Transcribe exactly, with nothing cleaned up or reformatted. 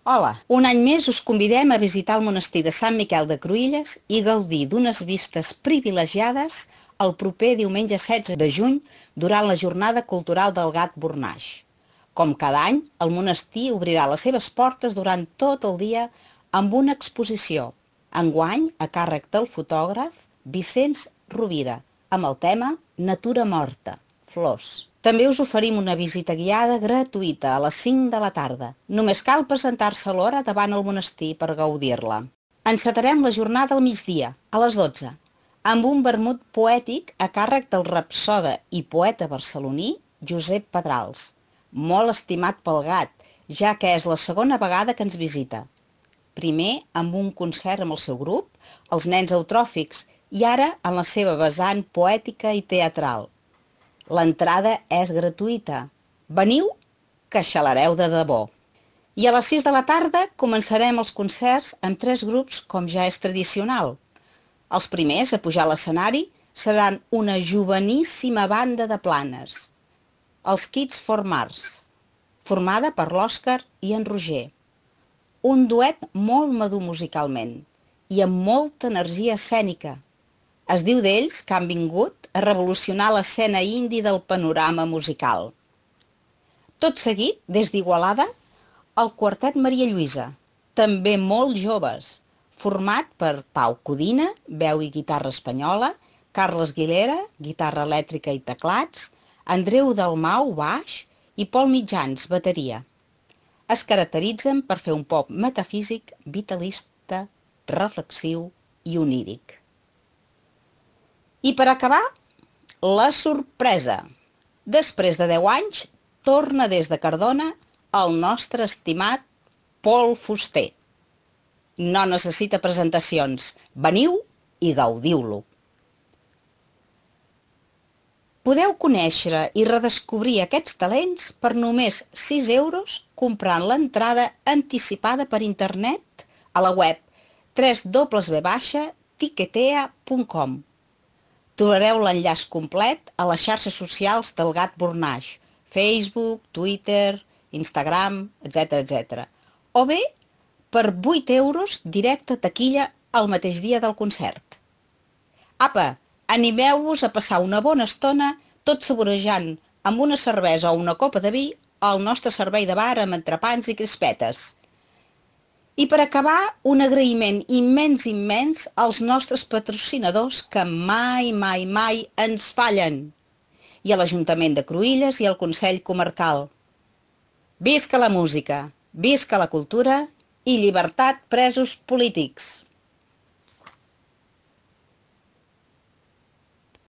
Hola, un any més us convidem a visitar el monestir de Sant Miquel de Cruïlles i gaudir d'unes vistes privilegiades el proper diumenge setze de juny durant la Jornada Cultural del Gat Bornaix. Com cada any, el monestir obrirà les seves portes durant tot el dia amb una exposició, enguany a càrrec del fotògraf Vicenç Rovira, amb el tema Natura morta, flors. També us oferim una visita guiada gratuïta a les cinc de la tarda. Només cal presentar-se a l'hora davant el monestir per gaudir-la. Encetarem la jornada al migdia, a les dotze, amb un vermut poètic a càrrec del rapsode i poeta barceloní Josep Pedrals, molt estimat pel gat, ja que és la segona vegada que ens visita. Primer amb un concert amb el seu grup, els Nens Eutròfics, i ara en la seva vessant poètica i teatral. L'entrada és gratuïta. Veniu, que xalareu de debò. I a les sis de la tarda començarem els concerts amb tres grups com ja és tradicional. Els primers a pujar a l'escenari seran una joveníssima banda de Planes, els Kids for Mars, formada per l'Òscar i en Roger. Un duet molt madur musicalment i amb molta energia escènica. Es diu d'ells que han vingut a revolucionar l'escena indi del panorama musical. Tot seguit, des d'Igualada, el quartet Maria Lluïsa, també molt joves, format per Pau Codina, veu i guitarra espanyola, Carles Guilera, guitarra elèctrica i teclats, Andreu Dalmau, baix, i Pol Mitjans, bateria. Es caracteritzen per fer un pop metafísic, vitalista, reflexiu i oníric. I per acabar, la sorpresa. Després de deu anys, torna des de Cardona el nostre estimat Pol Fuster. No necessita presentacions. Veniu i gaudiu-lo. Podeu conèixer i redescobrir aquests talents per només sis euros comprant l'entrada anticipada per internet a la web w w w punt tiquetea punt com. Trobareu l'enllaç complet a les xarxes socials del Gat Bornaix, Facebook, Twitter, Instagram, etcètera, etcètera. O bé, per vuit euros directe a taquilla el mateix dia del concert. Apa, animeu-vos a passar una bona estona tot saborejant amb una cervesa o una copa de vi al nostre servei de bar amb entrepans i crispetes. I per acabar, un agraïment immens, immens als nostres patrocinadors que mai, mai, mai ens fallen. I a l'Ajuntament de Cruïlles i al Consell Comarcal. Visca la música, visca la cultura i llibertat presos polítics!